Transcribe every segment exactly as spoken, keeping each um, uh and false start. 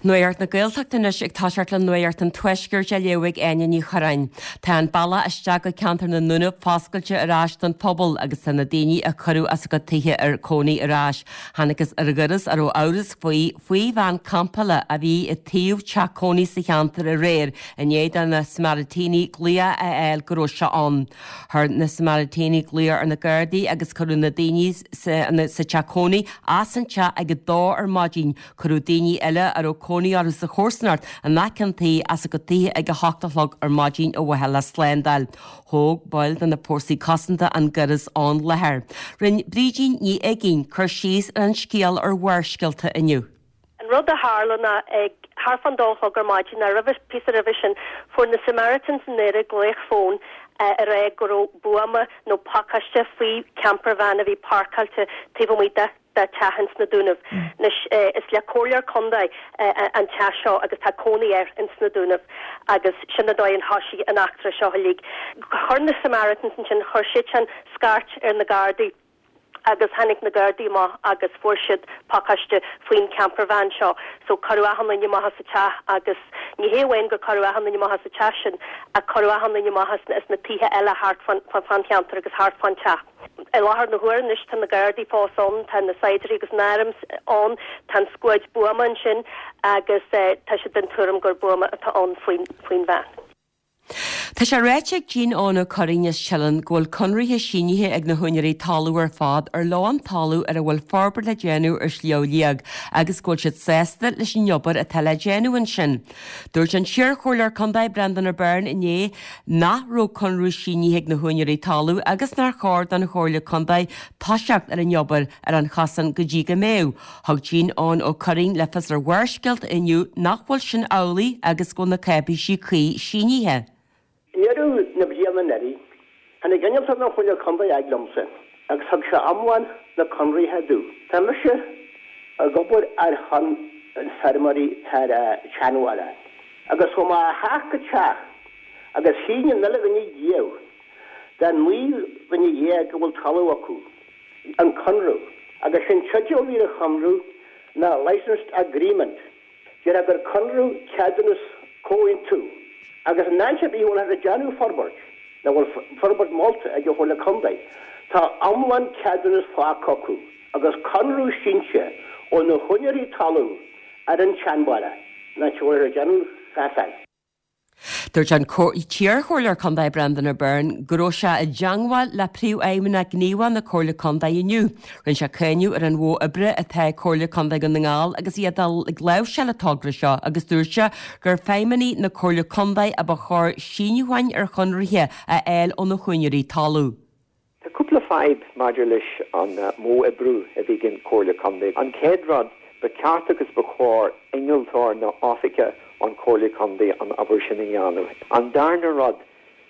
Nuacht na Gaeltachta anois ag toiseacht le Nuacht an Tuaiscirt á léamh ag Áine Ní Churráin. Tá an bealach isteach go ceantar na nDúnaibh foscailte ar ais don phobal agus tá na daoine a cuireadh as a gcuid tithe ar cónaí ar ais. Thángthas ar dhoras a raibh amhras faoi faoi veain campála a bhí i taobh teach cónaí sa cheantar aréir i ndiaidh do na Samaritans glaoch a fháil go raibh sé ann. Chuir na Samaritans glaoch ar na Gardaí agus cuireadh na daoine sa, sa teach cónaí as an teach ag a dó ar maidin. Cuireadh daoine eile a raibh cónaí orthu sa chomharsanacht in aice an tí as a gcuid tithe ag a hocht a chlog ar maidin ar mhaithe le slándáil. Thóg baill de na fórsaí cosanta an doras ón láthair. Rinne Brídín Ní Uiginn cur síos ar an scéal ar Bharrscéalta inniu. An rud a tharla ná ag thart fán dó a chlog ar maidin ná roimhe píosa roimhe sin fuair na Samaritans i nDoire glaoch fóin ag rá go raibh buama nó pacáiste faoi camper van a bhí páirceáilte taobh amuigh de de teach ins na Dúnaibh. Anois is le comhairleoir contae an teach seo agus tá cónaí air ins na Dúnaibh agus sin an dóigh ar thosaigh an eachtra seo uilig. Chuir na Samaritans ansin chuir siad scairt ar na Gardaí agus tháinig na Gardaí amach agus fuair siad pacáiste faoin camper van seo so cuireadh achan duine amach as an teach agus ní hé amháin gur cuireadh achan duine amach as an teach sin a cuireadh achan duine amach as na tithe eile thart fán cheantar agus thart fán teach. I láthair na huaire anois tá na Gardaí fós ann, tá na saighdiúirí agus na hairm ann, tá an scuad buama ansin agus tá siad den tuairim gur buama atá ann faoin faoin veain. Tá sé ráite ag Jean Eoin Ó Curraoin as Teileann go bhfuil conraithe sínithe ag na húinéirí talamh ar fad ar leo an talamh ar a bhfuil forbairt le déanamh ar Shliabh Liag agus go bhfuil siad sásta leis an obair atá le déanamh ansin. Dúirt an t-iarchomhairleoir Contae Brendan O'Byrne inné nach raibh conradh sínithe ag na húinéirí talamh agus nár chóir don Chomhairle Contae toiseacht ar an obair ar an chosán go dtí go mbeadh. Thug Jean Eoin Ó Curraoin le fios ar Bharrscéalta inniu nach bhfuil sin amhlaidh agus go bhfuil na cáipéisí cuí sínithe. I ndeireadh na bliana anuraidh, tháinig innealtóir na Comhairle Contae ag liomsa agus thug sé iomlán na conraithe domh. Tá mise ag obair ar shon na feirmeoirí ar tseanbhaile agus chuaigh mé ó theach go teach agus shínigh an uile dhuine díobh den naoi dhuine dhéag a bhfuil talamh acu an conradh agus sin teideal a bhí ar an chonradh ná Licensed Agreement. Déarfá gur conradh ceadúnas comhaontú agus in áit ar bith a bhfuil ag déanamh forbairt, nó bhfuil forbairt molta ag an Chomhairle Contae, tá iomlán ceadúnas faighte acu agus conradh sínte ó na húinéirí talún ar an tseanbhaile, in áit a bhfuil ag déanamh chasáin. Dúirt an t-iarchomhairleoir Contae Brendan O'Byrne go raibh sé i dteagmháil le príomhfheidhmeannach gníomhach na Comhairle Contae inniu. Rinne sé cáineadh ar an mhodh oibre atá ag Comhairle Contae Dhún na nGall agus iad ag láimhseáil an togra seo agus dúirt sé gur feidhmeannaigh na Comhairle Contae a ba chóir síniúcháin ar chonraithe a fháil ó na húinéirí talún. Tá cúpla fadhb maidir leis an modh oibre a bhí ag an Comhairle Contae. An chéad rud ba cheart agus ba chóir innealtóir nó oifigeach an Comhairle Contae an obair sin a dhéanamh. An darna rud,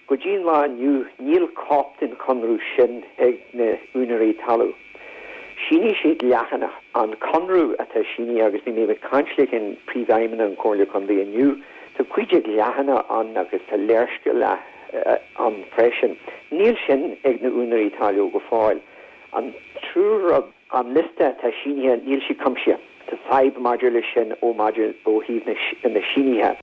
go dtí an lá inniu níl cóip den chonradh sin ag na húinéirí talún. Shínigh siad leathanach an conradh atá sínithe agus bhí mé ag caint leis an príomhfheidhmeannach an Comhairle Contae inniu, Tá cúig déag leathanach ann agus tá léarscáil ann freisin. Níl sin ag na húinéirí talún go fóill. An tríú rud an liosta atá sínithe níl sé cuimsithe. Tá fadhb maidir leis sin ó maidir ó thaobh na sínithe.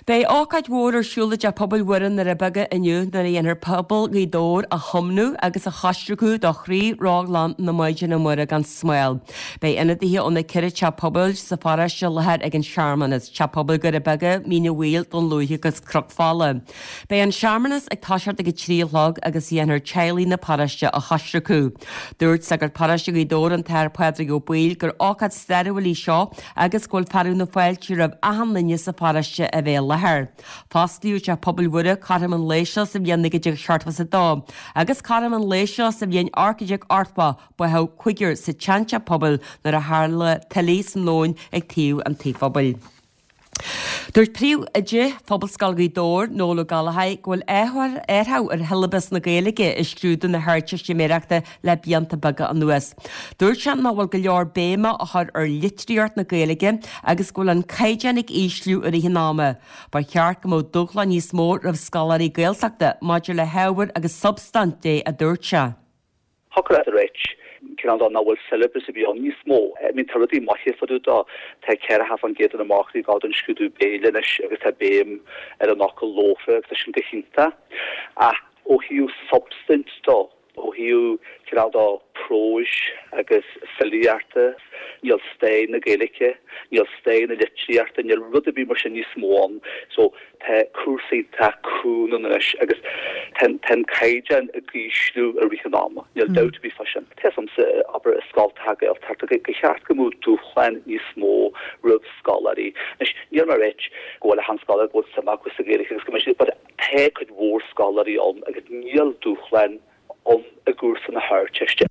Beidh ócáid mhór ar siúl i dTeach Pobail Mhuire i nDoirí Beaga inniu nuair a dhéanfar pobal Ghaoth Dobhair a thiomnú agus a choisriceadh do chroí rotghlan na Maighdine Muire gan Smál. Beidh ionadaithe ó na ceithre teach pobail sa pharóiste i láthair ag an searmanas, Teach Pobail Dhoirí Beaga, Mín an Mhaoil, Dún Lúiche agus Cnoc Fola. Beidh an searmanas ag toiseacht ag a trí a chlog agus dhéanfar teaghlaigh na paróiste a choisriceadh. Dúirt sagart paróiste Ghaoth Dobhair an tAthair Pádraig Ó Baoill gur ócáid stairiúil í seo agus go bhfuil fearadh na fáilte roimh achan duine sa pharóiste a bheith i láthair. Fosclaíodh Teach Pobail Mhuire cothrom an lae seo sa bhliain naoi déag seachtó is a dó agus cothrom an lae seo sa bhliain ocht déag ochtó báthadh cúigear sa tseanteach pobail nuair a tharla tuile san abhainn ag taobh an tí phobail. Dúirt Príomhoide Phobalscoil Ghaoth Dobhair, Noel Ó Gallchóir, go bhfuil athrú ar shiollabas na Gaeilge i scrúdú na hArdteistiméireachta le blianta beaga anuas. Dúirt sé nach bhfuil go leor béime á chur ar litríocht na Gaeilge agus go bhfuil an caighdeán ag ísliú i rith an ama. Ba cheart go mbeadh dúshlán níos mó roimh scoláirí Gaeltachta maidir le hábhar agus substaint de, a dúirt sé. Thiocfadh leat a ráit cineál de nach bhfuil syllabus ar bith ann níos mó. I mean tá rudaí maithe fá dtaobh de tá ceathracha faoin gcéad de na mac léinn ag gabháil don scrúdú béil anois agus tá béim ar an fhocal líofa agus tá sin go hiontach ach ó thaobh substaint de ó thaobh cineál de próis agus filíochta níl stair na Gaeilge, níl stair na litríochta, níl rud ar bith mar sin níos mó ann so tá cúrsaí tá cúng anois agus tá an caighdeán ag ísliú i rith an ama. Níl dabht ar bith fá sin. Tá samsa abair i scoltacha Gaeltachta go cheart go mbeadh dúshlán níos mó roimh scoláirí. Anois níl mé ag rá go bhfuil achan scoláire go bhfuil suim acu sa Ghaeilge agus go mbeidh siad but tá cuid mhór scoláirí ann agus níl dúshlán ann i gcúrsa na hArdteiste.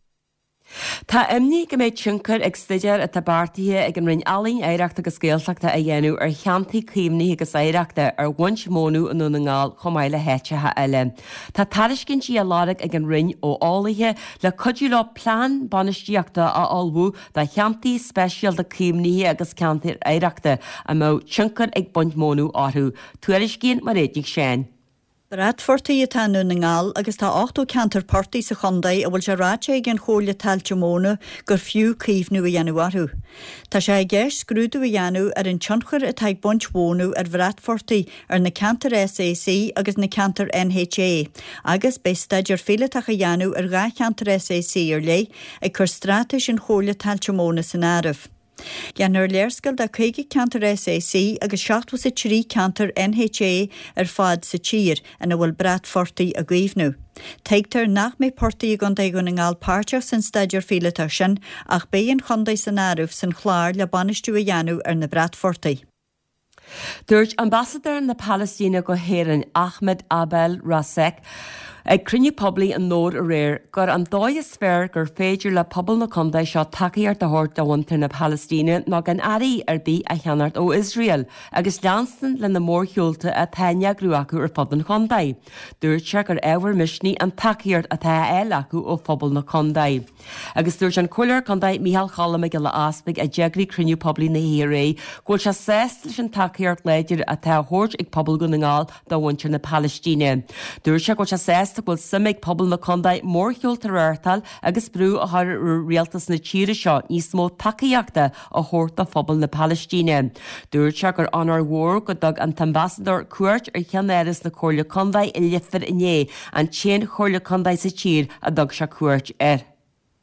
Tá imní go mbeidh tionchar ag staidéar atá beartaithe ag an Roinn Ealaíon Oidhreachta agus Gaeltachta a dhéanamh ar cheantair caomhnaithe agus oidhreachta ar bhaint mónadh i nDún na nGall chomh maith le háiteacha eile. Tá tairiscintí á lorg ag an Roinn ó eolaithe le cuidiú leo plean bainistíochta a ullmhú do cheantair speisialta caomhnaithe agus ceantair oidhreachta a mbeadh tionchar ag baint mónadh orthu. Tuairiscíonn Mairéad Nic Seáin. Bratphortaigh atá i nDún na nGall agus tá ochtó ceantar portaigh sa chontae a bhfuil sé ráite ag an Chomhairle Tailte Móna gur fiú caomhnú a dhéanamh orthu. Tá sé i gceist scrúdú a dhéanamh ar an tionchar atá ag baint mhónadh ar bhratphortaigh ar na ceantair SAC agus na ceantair NHA, agus beidh staidéar píolótach á dhéanamh ar dhá cheantar SAC ar leith ag cur straitéis an Chomhairle Tailte Móna san áireamh. Déanfar léarscáil de caoga ceantar SAC agus seachtó is a trí ceantar NHA ar fad sa tír ina bhfuil bratphortaigh á gcaomhnú. Tuigtear nach mbeidh portaigh i gContae Dhún na nGall páirteach san staidéar píolótach sin ach beidh an chontae san áireamh san chlár le bainistiú a dhéanamh ar na bratphortaigh. Dúirt Ambasadóir na Palaistíne go hÉirinn Ahmed Abdel Razek ag cruinniú poiblí i nDobhar aréir gur an dóigh is fearr gur féidir le pobal na contae seo tacaíocht a thabhairt do mhuintir na Palaistíne ná gan earraí ar bith a cheannacht ó Iosrael agus leanstan le na mórshiúlta atá á n-eagrú acu ar fud an chontae. Dúirt sé gur ábhar misnigh an tacaíocht atá á fháil acu ó phobal na contae. Agus dúirt an Comhairleoir Contae Micheál Cholm Mac Giolla Easpaig a d'eagraigh cruinniú poiblí na hoíche go bhfuil sé sásta leis an tacaíocht láidir atá á thabhairt ag pobal Dhún na nGall do mhuintir na Palaistíne. Dúirt sé go bhfuil sé sásta go bhfuil suim ag pobal na contae mórshiúlta a reáchtáil agus brú a chur ar rialtas na tíre seo níos mó tacaíochta a thabhairt do phobal na Palaistíne. Dúirt sé gur onóir mhór go dtug an t-ambasadóir cuairt ar cheannáras na Comhairle Contae i Leifear inné an t-aon chomhairle contae sa tír a dtug sé cuairt air.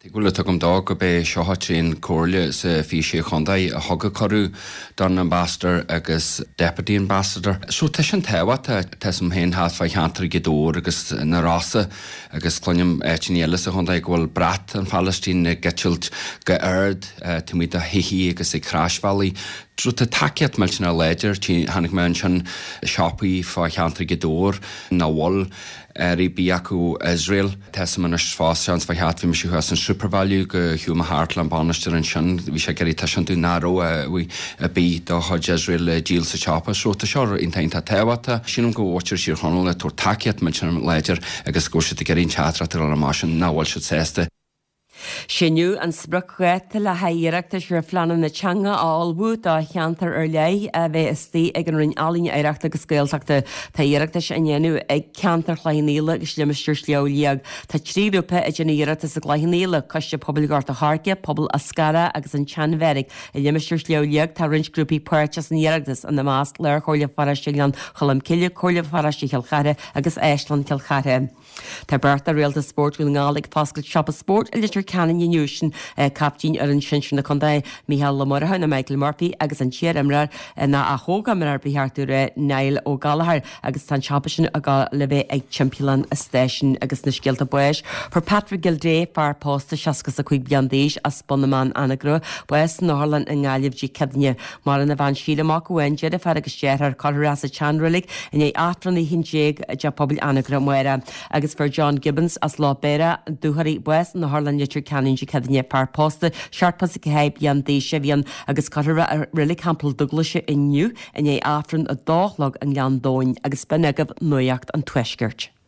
Bhuel tuigim dó gurb é seo an t-aon chomhairle sa fiche sé chontae a thug cuireadh don ambassador agus deputy ambassador. So tá sin tábhachtach tá sam féin thart fá cheantar Ghaoth Dobhair agus na Rosa agus cluinim áiteanna eile sa chontae go bhfuil brat an Phalaistín ag eitilt go hard taobh amuigh de thithe agus ag croisbhealaí. So tá tacaíocht millteanach láidir tháinig mé ansin siopaí fá cheantar Ghaoth Dobhair nach bhfuil earraí ar bith acu Israel. Tá sam anois fós seans fá cheart bhí mise thuas in Supervalu go shiúil mé thart le an bainisteoir ansin bhí sé ag iarraidh tuiscint nach raibh ar bith de chuid Israel le díol sa siopa so tá seo iontach tábhachtach. Sílim go bhfuil Tír Chonaill ag tabhairt tacaíocht millteanach láidir agus go bhfuil siad ag iarraidh an teachtaireacht a rá sin nach bhfuil siad sásta. Síneadh an spriocdháta le haghaidh iarratais ar phleananna teanga a ullmhú do cheantar ar leith a bheith istigh ag an Roinn Ealaíon Oidhreachta agus Gaeltachta. Tá iarratais á ndéanamh ag ceantar Chloich Cheann Fhaola agus limistéar Shliabh Liag. Tá trí ghrúpa ag déanamh iarratas i gCloich Cheann Fhaola, Coiste Pobail Ghort a' Choirce, Pobal Eascarrach agus an tSeanbheairic. I limistéar Shliabh Liag tá roinnt grúpaí páirteach san iarratas ina measc Lárchomhairle Pharóiste Ghleann Cholm Cille, Comhairle Pharóiste Chill Chartha agus Áislann Chill Chartha. Tá beirt de réalta spóirt Dhún na nGall ag foscailt siopa spóirt i Leitir Ceanainn inniu sin captaen fhoireann sinsir na contae Micheál Ó Murchú nó Michael Murphy agus an t-iarimreoir ná a hógimreoir ba cheart dúinn a rá Niall Ó Gallchóir agus tá an siopa sin ag dul le bheith ag timpeall an stáisiúin agus na scéalta báis. Fuair Patrick Gildea fear pósta seasca is a cúig bliain d'aois as Bun na mBan Anagaire, bás san otharlann i nGaillimh Dé Céadaoine. Maireann a bhean Síle mac amháin deirfiúr agus deartháir curtha sa tseanreilig i ndiaidh Aifreann a haon déag i dTeach Pobail Anagaire amárach. Agus fuair John Gibbons as Loch Béara Dúchoraidh bás san otharlann Leitir Ceanainn Dé Céadaoine fear pósta seachtó is a ceathair bliain d'aois a bhí ann agus cuirfear é i Reilig Theampall Dúglaise inniu i ndiaidh Aifreann a dó a chlog i nGleann Domhain agus b'in agaibh Nuacht an Tuaiscirt.